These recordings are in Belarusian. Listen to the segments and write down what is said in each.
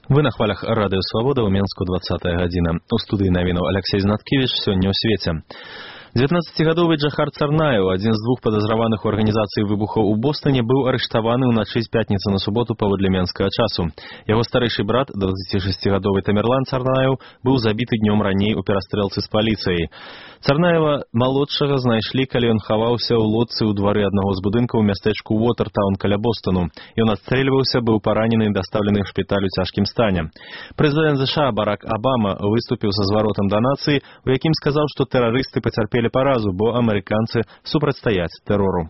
Вы на хвалях Радыё Свабода ў Менску 20 гадзіна. У студыі навінаў Алексей Знаткевіч сёння ў свеце. 19-гадовы Джахар Царнаев, адзін з двух падазраваных у арганізацыі выбухаў у Бостоне, быў арыштаваны ўначы з пятніцы на суботу паводле менскага часу. Яго старэйшы брат, 26-гадовы Тамерлан Царнаев, быў забіты днём раней у перастрэлцы з паліцыяй. Царнаева малодшага знайшлі, калі ён хаваўся ў лодцы ў двары аднаго з будынкаў у мястэчку Уотертаун каля Бостону. Ён адстрэльваўся, быў паранены і дастаўлены ў шпіталь у цяжкім стане. Прэзідэнт США Барак Абама выступіў са зваротам да нацыі, у якім сказаў, што тэрарысты пацярпелі паразу, бо амерыканцы супрацьстаяць тэрору.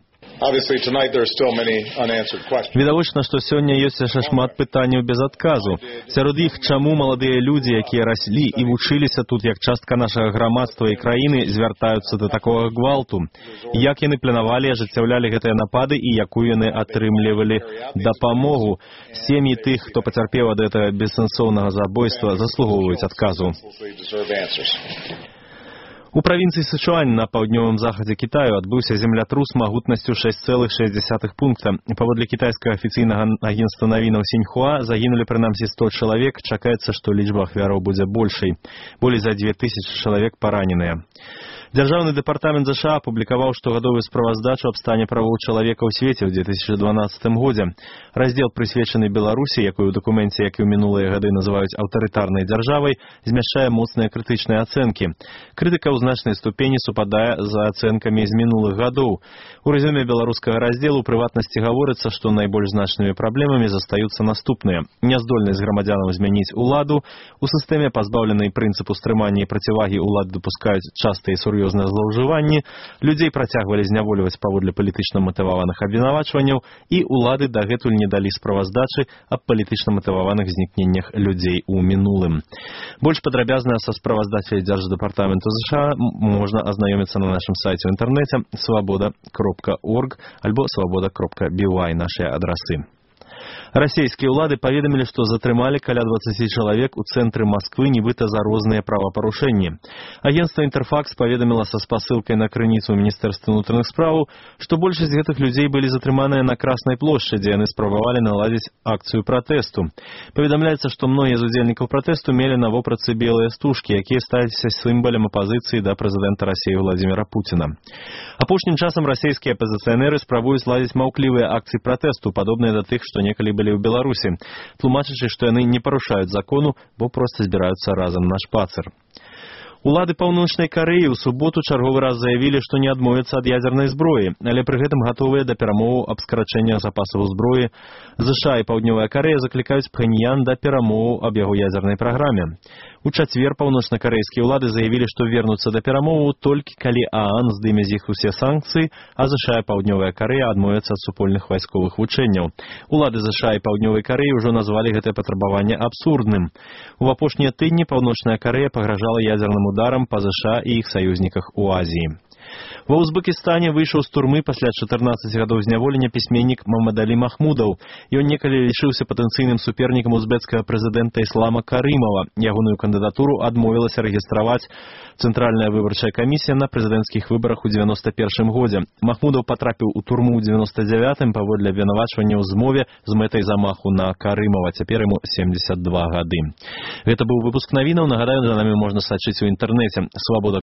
Відавочна, што сёння ёсць яшчэ шмат пытанняў без адказу. Сярод іх, чаму маладыя людзі, якія раслі і вучыліся тут як частка нашага грамадства і краіны, звяртаюцца да такога гвалту? Як яны планавалі, ажыццяўлялі гэтыя напады і якую яны атрымлівалі дапамогу? Сем'і тых, хто пацярпеў ад гэтага бессэнсоўнага забойства, заслугоўваюць адказу. У правінцыі Сычуань на паўднёвым захадзе Кітаю адбыўся землятрус магутнасцю 6,6 пункта. Паводле кітайскага афіцыйнага агенцтва навінаў Сіньхуа загінулі прынамсі 100 чалавек, чакаецца, што лічба ахвяраў будзе большай. Болей за 2000 чалавек параненыя. Дзяржаўны дэпартамент США апублікаваў штогадовую справаздачу аб стане правоў чалавека ў свеце ў 2012 годзе. Раздзел, прысвечаны Беларусі, якую ў дакуменце, як і ў минулыя гады называюць аўтарытарнай дзяржавай, змяшчае моцныя крытычныя ацэнкі. Крытыка ў значнай ступені супадае за ацэнкамі з мінулых гадоў. У рэзюме беларускага раздзелу ў прыватнасці гаворыцца, што найбольш значнымі праблемамі застаюцца наступныя: няздольнасць грамадзянаў змяніць уладу, у сістэме пазбаўленай прынцыпу стрымання і процівагі улады дапускаюць частыя і сур'ёзныя злоўжыванні, людзей працягвалі знявольваць паводле палітычна матываваных абвінавачванняў, і улады дагэтуль не далі справаздачы аб палітычна матываваных знікненнях людзей у мінулым. Больш падрабязна са справаздачай Дзярждэпартаменту США можна азнаёміцца на нашым сайце ў інтэрнэце swoboda.org альбо swoboda.by нашыя адрасы. Расійскія ўлады паведамілі, што затрымалі каля 20 чалавек у цэнтры Масквы нібыта за розныя правапарушэнні. Агенцтва Інтэрфакс паведаміла са спасылкай на крыніцу Міністэрства ўнутраных спраў, што большасць гэтых людзей былі затрыманыя на Краснай плошчы, дзе яны спрабавалі наладзіць акцыю пратэсту. Паведамляецца, што многія з удзельнікаў пратэсту мелі на вопратцы белыя стужкі, якія сталіся сімвалам апазіцыі да прэзідэнта Расіі Владзіміра Пуціна. Апошнім часам расійскія апазіцыянеры спрабуюць ладзіць маўклівыя акцыі пратэсту, падобныя да тых, што некалі былі ў Беларусі, тлумачачы, што яны не парушаюць закону, бо проста збіраюцца разам на шпацыр. Улады Паўночнай Карэі ў суботу чарговы раз заявілі, што не адмовяцца ад ядзернай зброі, але пры гэтым гатовыя да перамоваў аб скарачэнні запасаў зброі. ЗША і Паўднёвая Карэя заклікаюць Пхэньян да перамоваў аб яго ядзернай праграме. У чацвер паўночна-карэйскія ўлады заявілі, што вернуцца да перамоваў толькі калі ААН здыме з іх усе санкцыі, а ЗША і Паўднёвая Карэя адмовяцца ад супольных вайсковых вучэнняў. Улады ЗША і Паўднёвай Карэі ўжо назвалі гэтае патрабаванне абсурдным. У апошнія тыдні Паўночная Карэя пагражала ядзерным ударам па ЗША і іх саюзніках у Азіі. Ва Узбекістане выйшаў з турмы пасля 14 гадоў зняволення пісьменнік Мамадалі Махмудаў. Ён некалі лічыўся патэнцыйным супернікам узбекскага прэзідэнта Іслама Карымова. Ягоную кандыдатуру адмовілася рэгістраваць Цэнтральная выбарчая камісія на прэзідэнцкіх выбарах у 91 годзе. Махмудаў патрапіў у турму ў 99-м паводле абвінавачвання ў змове з мэтай замаху на Карымова. Цяпер яму 72 гады. Гэта быў выпуск навінаў. Нагадаю, за намі можна сачыць у інтэрнэце. Свабода.